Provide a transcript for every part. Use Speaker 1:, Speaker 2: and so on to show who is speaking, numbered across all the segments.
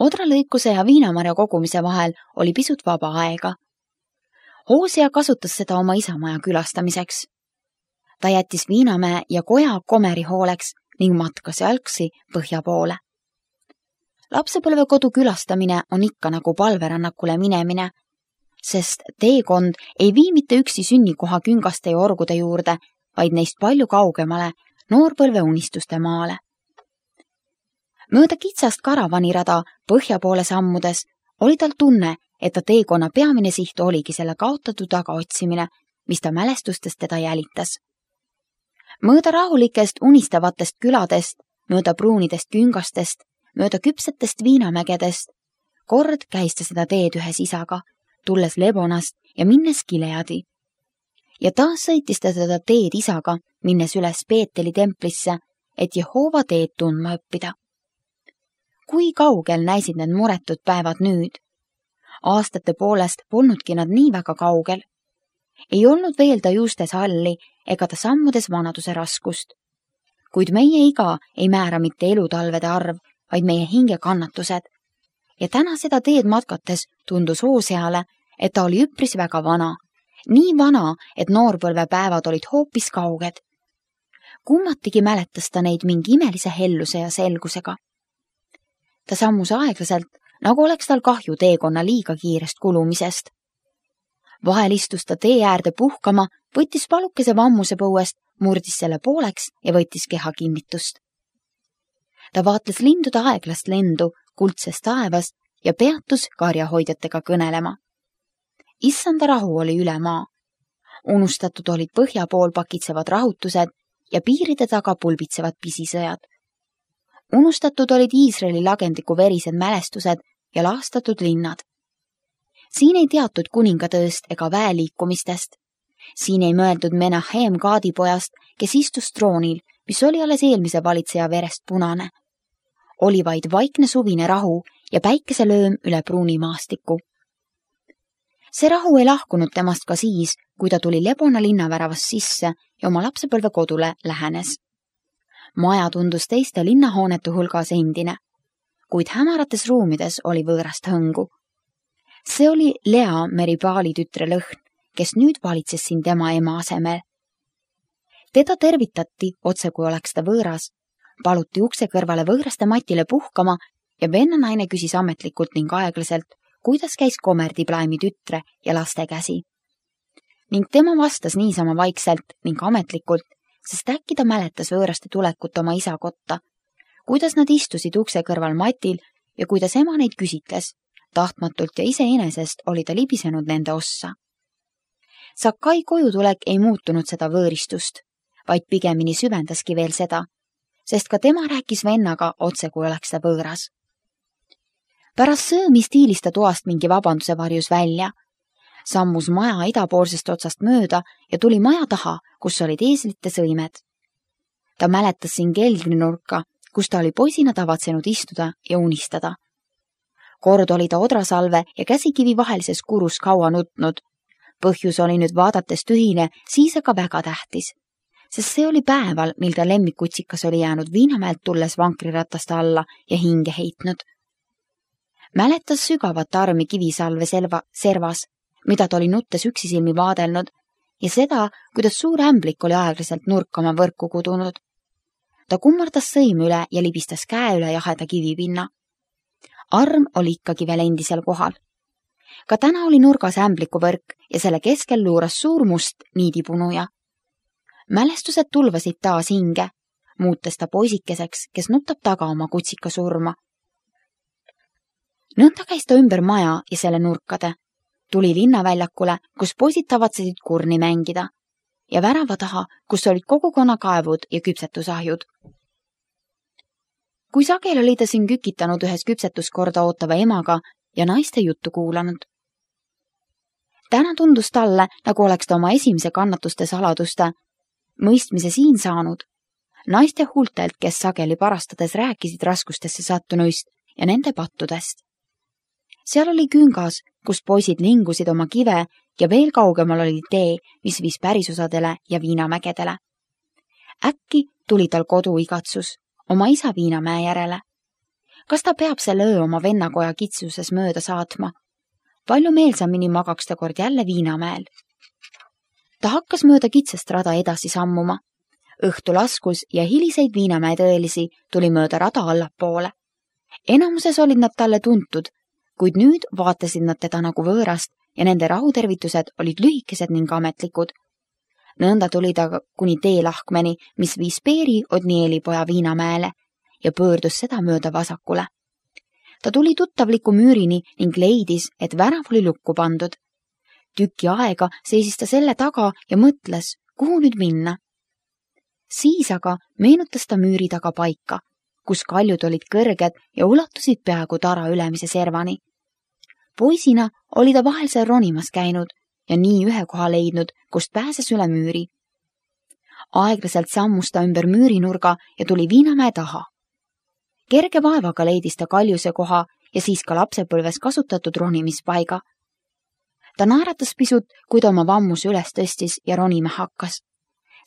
Speaker 1: Odralõikuse ja viinamarja kogumise vahel oli pisut vaba aega. Hoosia kasutas seda oma isamaja külastamiseks. Ta jättis Viinamäe ja koja Komeri hooleks ning matkas jalgsi põhja poole. Lapsepõlvekodu külastamine on ikka nagu palverännakule minemine, sest teekond ei vii mitte üksi sünnikoha küngaste ja orgude juurde, vaid neist palju kaugemale, noorpõlve unistuste maale. Mööda kitsast karavanirada põhja poole sammudes oli tal tunne, et ta teekonna peamine siht oligi selle kaotatud tagaotsimine, mis ta mälestustest teda jälitas. Mööda rahulikest unistavatest küladest, mööda pruunidest küngastest, mööda küpsetest viinamägedest, kord käis ta seda teed ühes isaga, tulles Lebonast ja minnes Gileadi. Ja taas sõitis ta seda teed isaga, minnes üles Peeteli templisse, et Jehova teed tundma õppida. Kui kaugel näisid need muretud päevad nüüd? Aastate poolest polnudki nad nii väga kaugel. Ei olnud veel ta juustes halli ega ta sammudes vanaduse raskust. Kuid meie iga ei määra mitte elutalvede arv, vaid meie hinge kannatused. Ja täna seda teed matkates tundus Hooseale, et ta oli üpris väga vana. Nii vana, et noorpõlve päevad olid hoopis kauged. Kummatigi mäletas ta neid mingi imelise helluse ja selgusega. Ta sammus aeglaselt, nagu oleks tal kahju teekonna liiga kiirest kulumisest. Vahel istus ta tee äärde puhkama, võttis palukese vammuse põuest, murdis selle pooleks ja võttis keha kinnitust. Ta vaatles lindude aeglast lendu kuldses taevas ja peatus karjahoidjatega kõnelema. Issanda rahu oli üle maa. Unustatud olid põhja pool pakitsevad rahutused ja piiride taga pulbitsevad pisisõjad. Unustatud olid Iisraeli lagendiku verised mälestused ja laastatud linnad. Siin ei teatud kuningatööst ega väeliikumistest. Siin ei mõeldud Menahem Gaadipojast, kes istus troonil, mis oli alles eelmise valitseja verest punane. Oli vaid vaikne suvine rahu ja päikeselööm üle pruuni maastiku. See rahu ei lahkunud temast ka siis, kui ta tuli Lebona linnaväravast sisse ja oma lapsepõlve kodule lähenes. Maja tundus teiste linnahoonete hulgas endine, kuid hämarates ruumides oli võõrast hõngu. See oli Lea Meribaali tütre lõhn, kes nüüd valitses siin tema ema asemel. Teda tervitati, otse kui oleks ta võõras, paluti ukse kõrvale võõraste matile puhkama ja vennanaine küsis ametlikult ning aeglaselt, kuidas käis Komerdiplaimi tütre ja laste käsi. Ning tema vastas niisama vaikselt ning ametlikult, sest äkki ta mäletas võõraste tulekut oma isa kotta, kuidas nad istusid ukse kõrval matil ja kuidas ema neid küsitles. Tahtmatult ja iseenesest oli ta libisenud nende ossa. Sakai kojutulek ei muutunud seda võõristust, vaid pigemini süvendaski veel seda, sest ka tema rääkis vennaga otse, kui oleks ta võõras. Pärast söömi stiilis ta toast mingi vabanduse varjus välja, sammus maja idapoolsest otsast mööda ja tuli maja taha, kus olid eeslite sõimed. Ta mäletas siin keldrinurka, kus ta oli poisina tavatsenud istuda ja unistada. Kord oli ta odrasalve ja käsikivi vahelises kurus kaua nutnud. Põhjus oli nüüd vaadates tühine, siis aga väga tähtis, sest see oli päeval, mil ta lemmikutsikas oli jäänud Viinamäelt tulles vankriratasta alla ja hinge heitnud. Mäletas sügavat armi kivisalve servas, mida ta oli nuttes üksisilmi vaadelnud ja seda, kuidas suur ämblik oli aeglaselt nurkama võrku kudunud. Ta kummardas sõim üle ja libistas käe üle jaheda kivipinna. Arm oli ikkagi veel endisel kohal. Ka täna oli nurgas ämbliku võrk ja selle keskel luuras suur must niidipunuja. Mälestused tulvasid taas hinge, muutes ta poisikeseks, kes nutab taga oma kutsika surma. Nõnda käis ta ümber maja ja selle nurkade. Tuli linnaväljakule, kus poisid tavatsesid kurni mängida ja värava taha, kus olid kogukonnakaevud ja küpsetusahjud. Kui sagel oli ta siin kükitanud ühes küpsetuskorda ootava emaga ja naiste juttu kuulanud. Täna tundus talle, nagu oleks ta oma esimese kannatuste saladuste mõistmise siin saanud. Naiste huultelt, kes sageli parastades rääkisid raskustesse sattunuist ja nende pattudest. Seal oli küngas, kus poisid lingusid oma kive ja veel kaugemal oli tee, mis viis pärisosadele ja Viinamägedele. Äkki tuli tal kodu igatsus oma isa Viinamäe järele. kas ta peab selle öö oma vennakoja kitsuses mööda saatma. Palju meelsamini magaks ta kord jälle Viinamäel. Ta hakkas mööda kitsast rada edasi sammuma. Õhtu laskus ja hiliseid Viinamäe tõelisi tuli mööda rada allapoole. Enamuses olid nad talle tuntud, kuid nüüd vaatasid nad teda nagu võõrast ja nende rahutervitused olid lühikesed ning ametlikud. Nõnda tuli ta kuni teelahkmeni, mis viis Peeri Odnieli poja Viinamäele ja pöördus seda mööda vasakule. Ta tuli tuttavliku müürini ning leidis, et värav oli lukku pandud. Tüki aega seisis ta selle taga ja mõtles, kuhu nüüd minna. Siis aga meenutas ta müüri taga paika, kus kaljud olid kõrged ja ulatusid peaaegu tara ülemise servani. Poisina oli ta vahel seal ronimas käinud ja nii ühe koha leidnud, kust pääses üle müüri. Aeglaselt sammus ta ümber müürinurga ja tuli Viinamäe taha. Kerge vaevaga leidis ta kaljuse koha ja siis ka lapsepõlves kasutatud ronimispaiga. Ta naeratas pisut, kui ta oma vammuse üles tõstis ja ronima hakkas,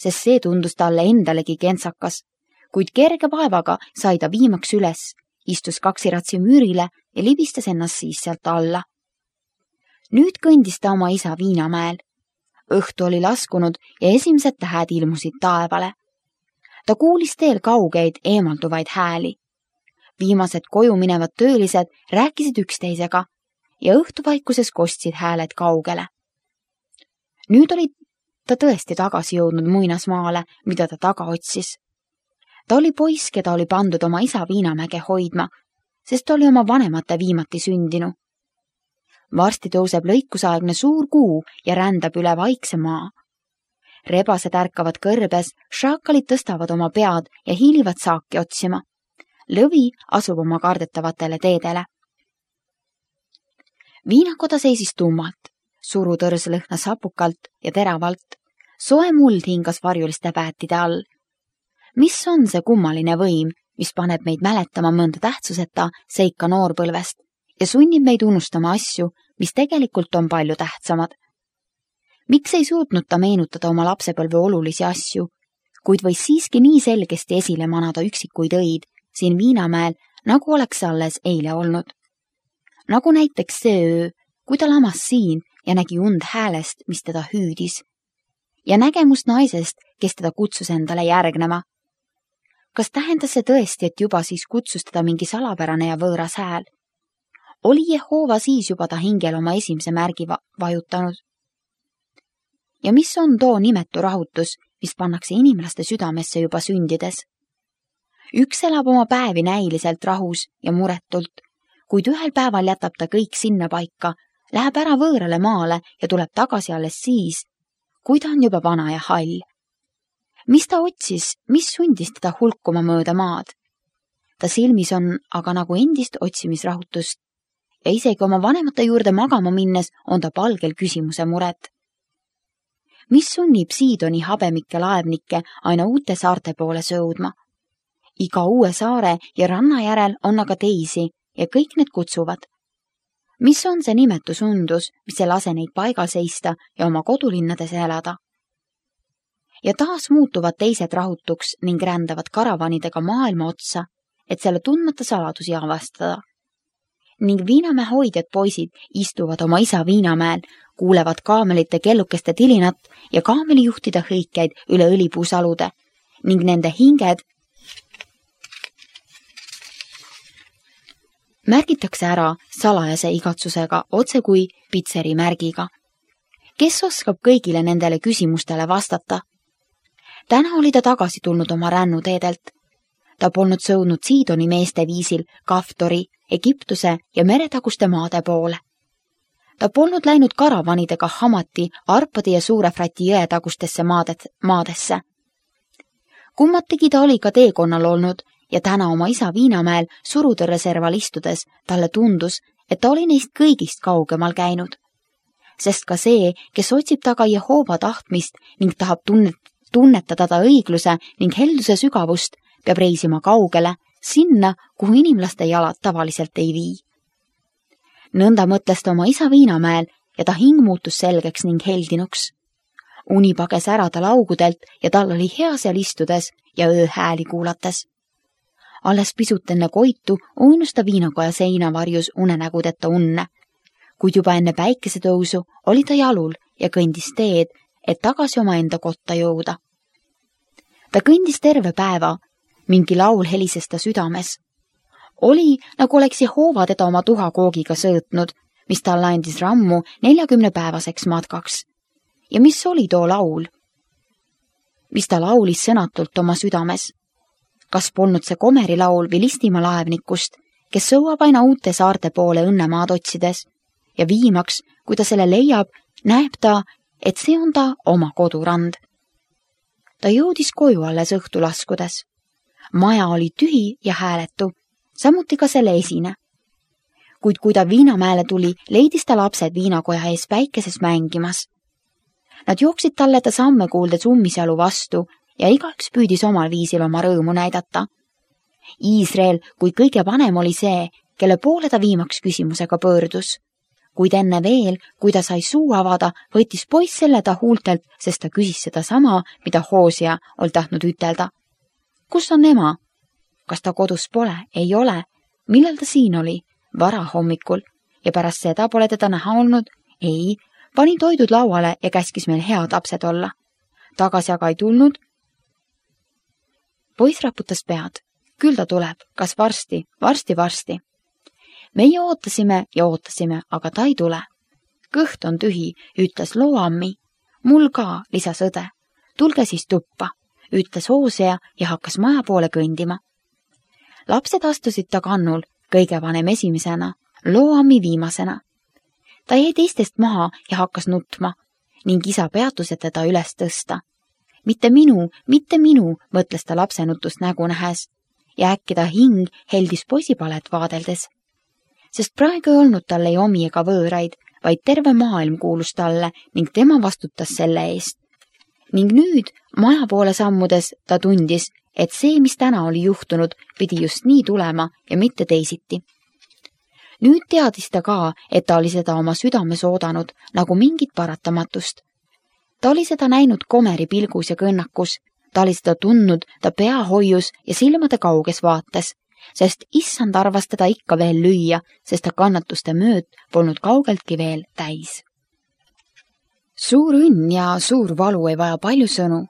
Speaker 1: sest see tundus talle endalegi kentsakas, kuid kerge vaevaga sai ta viimaks üles, istus kaksiratsi müürile ja libistas ennast siis sealt alla. Nüüd kõndis ta oma isa Viinamäel. Õhtu oli laskunud ja esimesed tähed ilmusid taevale. Ta kuulis teel kaugeid eemalduvaid hääli. Viimased koju minevad töölised rääkisid üksteisega ja õhtuvaikuses kostsid hääled kaugele. Nüüd oli ta tõesti tagasi jõudnud muinasmaale, mida ta taga otsis. Ta oli poiss, keda oli pandud oma isa Viinamäge hoidma, sest ta oli oma vanemate viimati sündinu. Varsti tõuseb lõikusaegne suur kuu ja rändab üle vaikse maa. Rebased ärkavad kõrbes, šaakalid tõstavad oma pead ja hiilivad saaki otsima. Lõvi asub oma kardetavatele teedele. Viinakoda seisis tummalt, surutõrs lõhnas hapukalt ja teravalt. Soe muld hingas varjuliste päätide all. Mis on see kummaline võim, mis paneb meid mäletama mõnda tähtsuseta seika noorpõlvest ja sunnib meid unustama asju, mis tegelikult on palju tähtsamad? Miks ei suutnud ta meenutada oma lapsepõlve olulisi asju, kuid võis siiski nii selgesti esile manada üksikuid õid siin Viinamäel, nagu oleks alles eile olnud. Nagu näiteks see öö, kui ta lamas siin ja nägi und häälest, mis teda hüüdis. Ja nägemust naisest, kes teda kutsus endale järgnema. Kas tähendas see tõesti, et juba siis kutsus teda mingi salapärane ja võõras hääl? Oli Jehova siis juba ta hingel oma esimese märgi vajutanud? Ja mis on too nimetu rahutus, mis pannakse inimlaste südamesse juba sündides? Üks elab oma päevi näiliselt rahus ja muretult, kuid ühel päeval jätab ta kõik sinna paika, läheb ära võõrale maale ja tuleb tagasi alles siis, kui ta on juba vana ja hall. Mis ta otsis, mis sundis teda hulkuma mööda maad? Ta silmis on aga nagu endist otsimisrahutust ja isegi oma vanemate juurde magama minnes on ta palgel küsimuse muret. Mis sunnib Siidoni habemikke laevnikke aina uute saarte poole sõudma? Iga uue saare ja ranna järel on aga teisi ja kõik need kutsuvad. Mis on see nimetus undus, mis ei lase neid paigal seista ja oma kodulinnades elada? Ja taas muutuvad teised rahutuks ning rändavad karavanidega maailma otsa, et selle tundmata saladusi avastada. Ning Viinamäe hoidjad poisid istuvad oma isa Viinamäel, kuulevad kaamelite kellukeste tilinat ja kaamelijuhtide hõikeid üle õlipuusalude ning nende hinged märgitakse ära salajase igatsusega otse kui pitseri märgiga. Kes oskab kõigile nendele küsimustele vastata? Täna oli ta tagasi tulnud oma rännuteedelt. Ta polnud sõudnud Siidoni meeste viisil Kaftori, Egiptuse ja meretaguste maade poole. Ta polnud läinud karavanidega Hamati, Arpadi ja Suure Frati jõe tagustesse maadesse. Kummatigi ta oli ka teekonnal olnud ja täna oma isa Viinamäel surutõrreserval istudes talle tundus, et ta oli neist kõigist kaugemal käinud. Sest ka see, kes otsib taga Jehova tahtmist ning tahab tunnetada ta õigluse ning helduse sügavust, peab reisima kaugele, sinna, kuhu inimlaste jalad tavaliselt ei vii. Nõnda mõtles ta oma isa Viinamäel ja ta hing muutus selgeks ning heldinuks. Uni pages ära ta laugudelt ja tal oli hea seal istudes ja ööhääli kuulates. Alles pisut enne koitu uinus ta viinakoja seina varjus unenägudeta unne, kuid juba enne päikesetõusu oli ta jalul ja kõndis teed, et tagasi omaenda kotta jõuda. Ta kõndis terve päeva, mingi laul helises ta südames. Oli, nagu oleks Jehova teda oma tuhakoogiga sõõtnud, mis talle andis rammu 40-päevaseks matkaks. Ja mis oli too laul? Mis ta laulis sõnatult oma südames? Kas polnud see Komeri laul või Listimaa laevnikust, kes sõuab aina uute saarte poole õnnemaad otsides ja viimaks, kui ta selle leiab, näeb ta, et see on ta oma kodurand. Ta jõudis koju alles õhtu laskudes. Maja oli tühi ja hääletu, samuti ka selle esine. Kuid kui ta Viinamäele tuli, leidis ta lapsed viinakoja ees päikeses mängimas. Nad jooksid talle ta samme kuuldes ummisjalu vastu ja igaüks püüdis omal viisil oma rõõmu näidata. Iisrael, kui kõige vanem oli see, kelle poole ta viimaks küsimusega pöördus. Kuid enne veel, kui ta sai suu avada, võttis poiss selle ta huultelt, sest ta küsis seda sama, mida Hoosia oli tahtnud ütelda. Kus on ema? Kas ta kodus pole? Ei ole. Millal ta siin oli? Vara hommikul. Ja pärast seda pole teda näha olnud? Ei. Pani toidud lauale ja käskis meil head lapsed olla. Tagasi aga ei tulnud. Poiss raputas pead. Küll ta tuleb. Kas varsti? Varsti. Meie ootasime ja ootasime, aga ta ei tule. Kõht on tühi, ütles Loammi. Mul ka, lisas õde. Tulge siis tuppa, ütles Hoosia ja hakkas maja poole kõndima. Lapsed astusid ta kannul, kõige vanem esimesena, Loammi viimasena. Ta jäi teistest maha ja hakkas nutma ning isa peatus, et teda üles tõsta. Mitte minu, mõtles ta lapse nutust nägu nähes ja äkki ta hing heldis poisipalet vaadeldes. Sest praegu ei olnud talle ei omi ega võõraid, vaid terve maailm kuulus talle ning tema vastutas selle eest. Ning nüüd, maja poole sammudes, ta tundis, et see, mis täna oli juhtunud, pidi just nii tulema ja mitte teisiti. Nüüd teadis ta ka, et ta oli seda oma südames oodanud, nagu mingit paratamatust. Ta oli seda näinud Komeri pilgus ja kõnnakus, ta oli seda tundnud ta peahoius ja silmade kauges vaates, sest issand arvas teda ikka veel lüüa, sest ta kannatuste mööd polnud kaugeltki veel täis. Suur õnn ja suur valu ei vaja palju sõnu.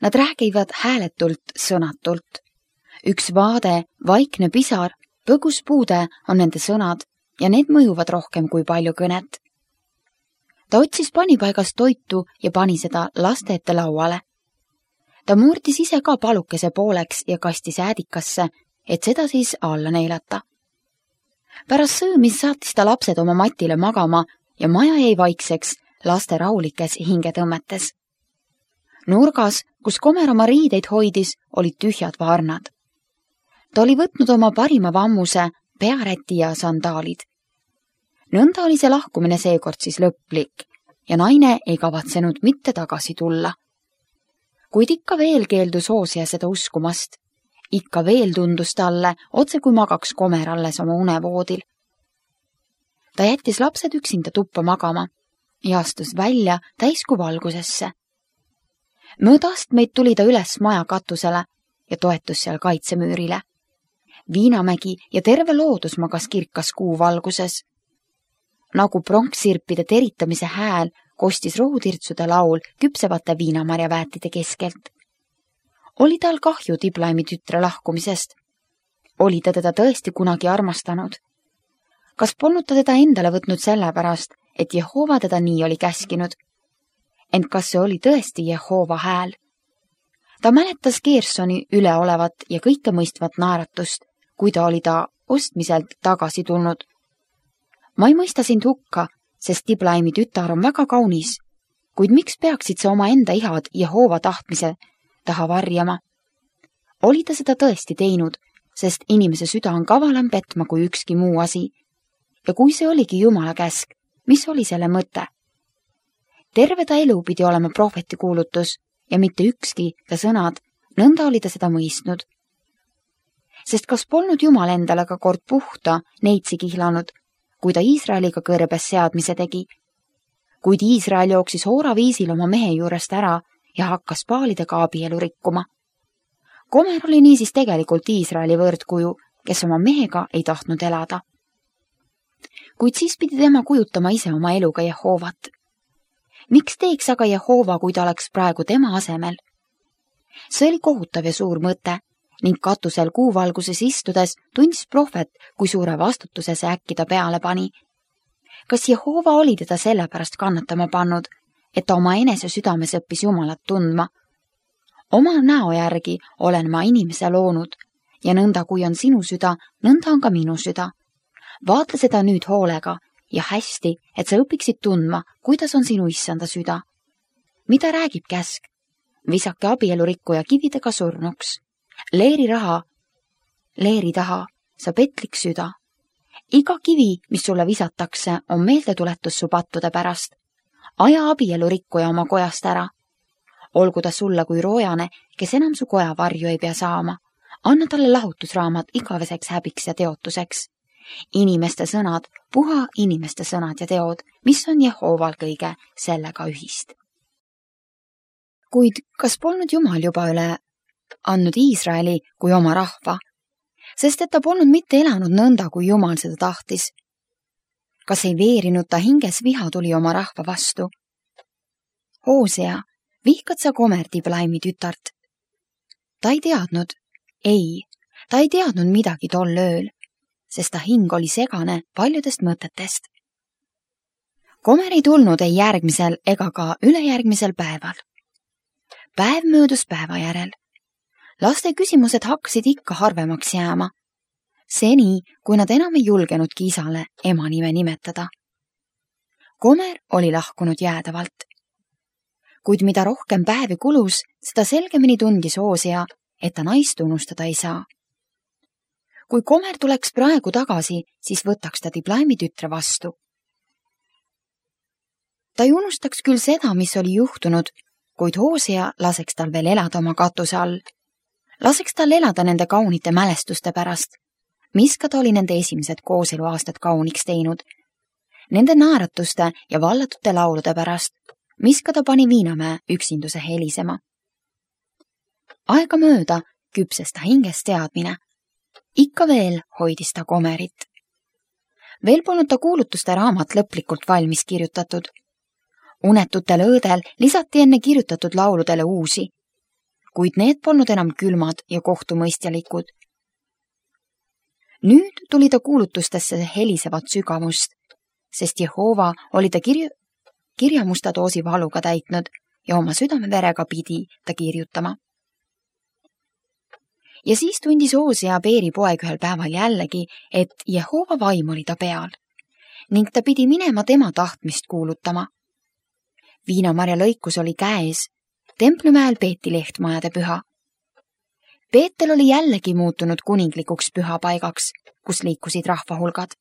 Speaker 1: Nad räägivad hääletult, sõnatult. Üks vaade, vaikne pisar, põgus puude on nende sõnad ja need mõjuvad rohkem kui palju kõnet. Ta otsis panipaigast toitu ja pani seda laste ette lauale. Ta murdis ise ka palukese pooleks ja kastis äädikasse, et seda siis alla neilata. Pärast söömis saatis ta lapsed oma matile magama ja maja jäi vaikseks, laste rahulikes hingetõmmetes. Nurgas, kus Komer oma riideid hoidis, olid tühjad varnad. Ta oli võtnud oma parima vammuse, pearäti ja sandaalid. Nõnda oli see lahkumine seekord siis lõplik ja naine ei kavatsenud mitte tagasi tulla. Kuid ikka veel keeldus Hoosia seda uskumast. Ikka veel tundus talle, otse kui magaks Komer alles oma unevoodil. Ta jättis lapsed üksinda tuppa magama ja astus välja täiskuu valgusesse. Mööda astmeid tuli ta üles maja katusele ja toetus seal kaitsemüürile. Viinamägi ja terve loodus magas kirkas kuu valguses. Nagu pronksirpide teritamise hääl kostis rohutirtsude laul küpsevate viinamarjaväetide keskelt. Oli tal kahju Diblaimi tütre lahkumisest? Oli ta teda tõesti kunagi armastanud? Kas polnud ta teda endale võtnud sellepärast, et Jehova teda nii oli käskinud? Ent kas see oli tõesti Jehova hääl? Ta mäletas Gersoni üleolevat ja kõike mõistvat naeratust, kui ta oli ta ostmiselt tagasi tulnud. Ma ei mõista sind hukka, sest Diblaimi tütar on väga kaunis, kuid miks peaksid sa oma enda ihad Jehova tahtmise taha varjama? Oli ta seda tõesti teinud, sest inimese süda on kavalam petma kui ükski muu asi. Ja kui see oligi Jumala käsk, mis oli selle mõte? Terve ta elu pidi olema prohveti kuulutus ja mitte ükski ta sõnad, nõnda oli ta seda mõistnud. Sest kas polnud Jumal endale ka kord puhta neitsi kihlanud, kui ta Iisraeliga kõrbes seadmise tegi? Kuid Iisrael jooksis Hoora viisil oma mehe juurest ära ja hakkas paalidega abielu rikkuma. Gomer oli niisiis tegelikult Iisraeli võrdkuju, kes oma mehega ei tahtnud elada. Kuid siis pidi tema kujutama ise oma eluga Jehovat. Miks teeks aga Jehova, kui ta oleks praegu tema asemel? See oli kohutav ja suur mõte ning katusel kuuvalguses istudes tundis prohvet, kui suure vastutuse see äkki ta peale pani. Kas Jehova oli teda sellepärast kannatama pannud, et ta oma enese südames õppis Jumalat tundma? Oma näo järgi olen ma inimese loonud ja nõnda kui on sinu süda, nõnda on ka minu süda. Vaata seda nüüd hoolega ja hästi, et sa õpiksid tundma, kuidas on sinu issanda süda. Mida räägib käsk? Visake abielurikkuja kividega surnuks. Leeri taha, sa petlik süda. Iga kivi, mis sulle visatakse, on meeldetuletus su pattude pärast. Aja abielurikkuja oma kojast ära. Olgu ta sulle kui roojane, kes enam su koja varju ei pea saama. Anna talle lahutusraamat igaveseks häbiks ja teotuseks. Inimeste sõnad, puha inimeste sõnad ja teod, mis on Jehoval kõige sellega ühist. Kuid kas polnud Jumal juba üle andnud Iisraeli kui oma rahva, sest et ta polnud mitte elanud nõnda, kui Jumal seda tahtis? Kas ei veerinud ta hinges viha tuli oma rahva vastu? Hoosea, vihkad sa Gomer Diblaimi tütart? Ta ei teadnud, ta ei teadnud midagi tol ööl, sest ta hing oli segane paljudest mõtetest. Gomer ei tulnud ei järgmisel ega ka ülejärgmisel päeval. Päev möödus päeva järel. Laste küsimused hakkasid ikka harvemaks jääma. Seni, kui nad enam ei julgenudki isale ema nime nimetada. Gomer oli lahkunud jäädavalt. Kuid mida rohkem päevi kulus, seda selgemini tundis Hoosea, et ta naist unustada ei saa. Kui Gomer tuleks praegu tagasi, siis võtaks ta Diblaimi tütre vastu. Ta ei unustaks küll seda, mis oli juhtunud, kuid Hoosea laseks tal veel elada oma katuse all. Laseks tal elada nende kaunite mälestuste pärast, mis ka ta oli nende esimesed kooseluaastad kauniks teinud. Nende naeratuste ja vallatute laulude pärast, mis ka ta pani Viinamäe üksinduse helisema. Aega mööda küpses ta hinges teadmine. Ikka veel hoidis ta Gomerit. Veel polnud ta kuulutuste raamat lõplikult valmis kirjutatud. Unetutel öödel lisati enne kirjutatud lauludele uusi, kuid need polnud enam külmad ja kohtumõistjalikud. Nüüd tuli ta kuulutustesse helisevat sügavust, sest Jehova oli ta kirjamusta doosi valuga täitnud ja oma südameverega pidi ta kirjutama. Ja siis tundis Hoosea Beeri poeg ühel päeval jällegi, et Jehova vaim oli ta peal ning ta pidi minema tema tahtmist kuulutama. Viinamarja lõikus oli käes, Templimäel peeti lehtmajade püha. Peetel oli jällegi muutunud kuninglikuks pühapaigaks, kus liikusid rahvahulgad.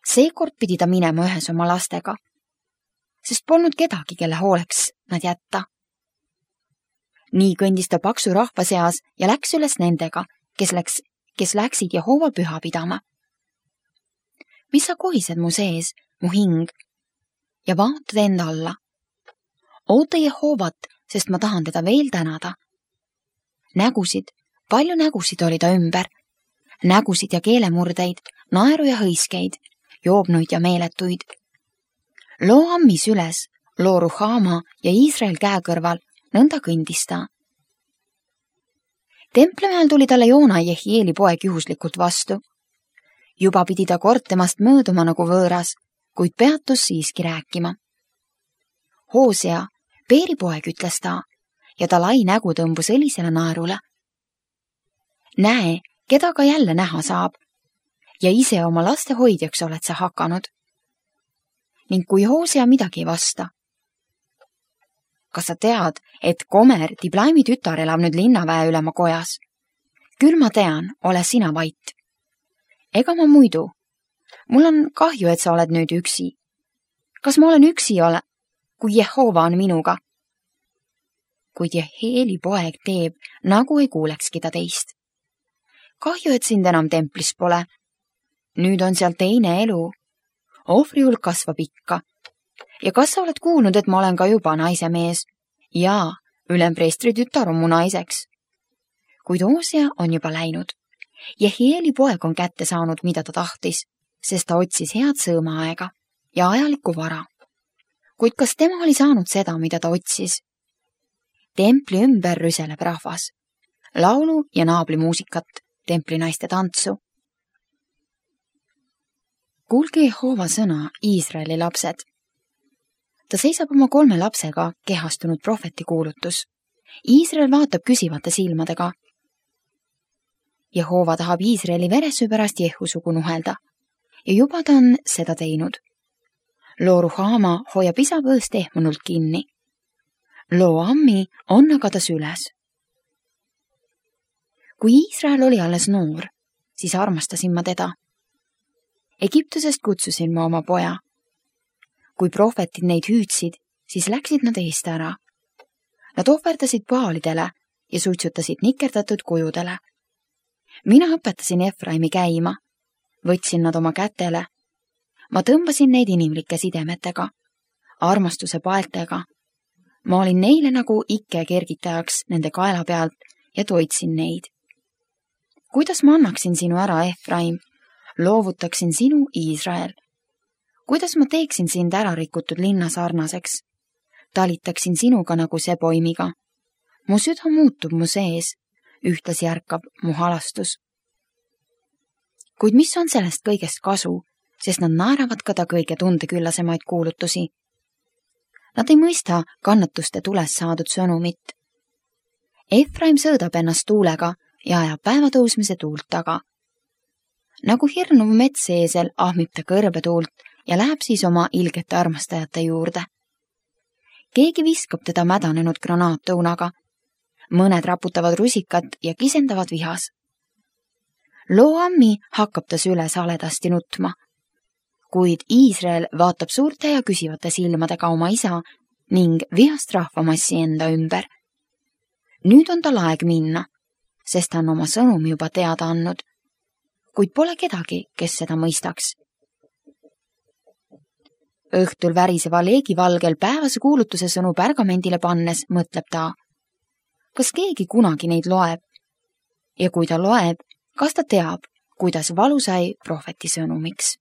Speaker 1: Seekord pidi ta minema ühes oma lastega, sest polnud kedagi, kelle hooleks nad jätta. Nii kõndis ta paksu rahva seas ja läks üles nendega, kes läksid Jehova püha pidama. Mis sa kohised mu sees, mu hing, ja vaatad enda alla? Oota Jehovat, sest ma tahan teda veel tänada. Nägusid, palju nägusid oli ta ümber. Nägusid ja keelemurdeid, naeru ja hõiskeid, joobnuid ja meeletuid. Loo ammis üles, loo Ruhama ja Iisrael käekõrval, nõnda kõndis ta. Templimäel tuli talle Joona Jehieli poeg juhuslikult vastu. Juba pidi ta kord temast mööduma nagu võõras, kuid peatus siiski rääkima. Hoosea, Beeri poeg, ütles ta, ja ta lai nägu tõmbus õlisele naerule. Näe, keda ka jälle näha saab, ja ise oma laste hoidjaks oled sa hakanud. Ning kui Hoosea midagi ei vasta. Kas sa tead, et Gomer Diblaimi tütar elab nüüd linnaväe ülema kojas? Küll ma tean, ole sina vait. Ega ma muidu. Mul on kahju, et sa oled nüüd üksi. Kas ma olen üksi kui Jehova on minuga? Kuid Jehieli poeg teeb, nagu ei kuulekski ta teist. Kahju, et sind enam templis pole. Nüüd on seal teine elu. Ohvri hulk kasvab ikka. Ja kas sa oled kuulnud, et ma olen ka juba naise mees? Jaa, ülempreestri tütar on mu naiseks. kuid Hosea on juba läinud. Jehieli poeg on kätte saanud, mida ta tahtis, sest ta otsis head sõõmaaega ja ajalikku vara. Kuid kas tema oli saanud seda, mida ta otsis? Templi ümber rüseleb rahvas. Laulu ja naablimuusikat, templinaiste tantsu. Kuulge Jehova sõna, Iisraeli lapsed. Ta seisab oma 3 lapsega kehastunud prohveti kuulutus. Iisrael vaatab küsivate silmadega. Jehova tahab Iisraeli veresöö pärast Jehusugu nuhelda ja juba ta on seda teinud. Loo Ruhama hoiab isa põõst ehmunult kinni. Loo Ammi on aga ta süles. Kui Iisrael oli alles noor, siis armastasin ma teda. Egiptusest kutsusin ma oma poja. Kui prohvetid neid hüüdsid, siis läksid nad eest ära. Nad ohverdasid paalidele ja suitsutasid nikerdatud kujudele. Mina õpetasin Efraimi käima, võtsin nad oma kätele. Ma tõmbasin neid inimlike sidemetega, armastuse paeltega. Ma olin neile nagu ikke kergitajaks nende kaela pealt ja toitsin neid. Kuidas ma annaksin sinu ära, Efraim? Loovutaksin sinu, Iisrael. Kuidas ma teeksin sind ära rikutud linna sarnaseks? Talitaksin sinuga nagu seboimiga. Mu süda muutub mu sees, ühtlasi ärkab mu halastus. Kuid mis on sellest kõigest kasu, sest nad naeravad ka ta kõige tundeküllasemaid kuulutusi. Nad ei mõista kannatuste tules saadud sõnumit. Efraim sõõdab ennast tuulega ja ajab päevatõusmise tuult taga. Nagu hirnuv metseesel ahmib ta kõrbetuult ja läheb siis oma ilgete armastajate juurde. Keegi viskab teda mädanenud granaattõunaga. Mõned raputavad rusikat ja kisendavad vihas. Loo Ammi hakkab ta süles haledasti nutma. Kuid Iisrael vaatab suurte ja küsivate silmadega oma isa ning vihast rahvamassi enda ümber. Nüüd on tal aeg minna, sest ta on oma sõnumi juba teada andnud, kuid pole kedagi, kes seda mõistaks. Õhtul väriseva leegivalgel päevase kuulutuse sõnu pergamendile pannes mõtleb ta, kas keegi kunagi neid loeb? Ja kui ta loeb, kas ta teab, kuidas valu sai prohveti sõnumiks?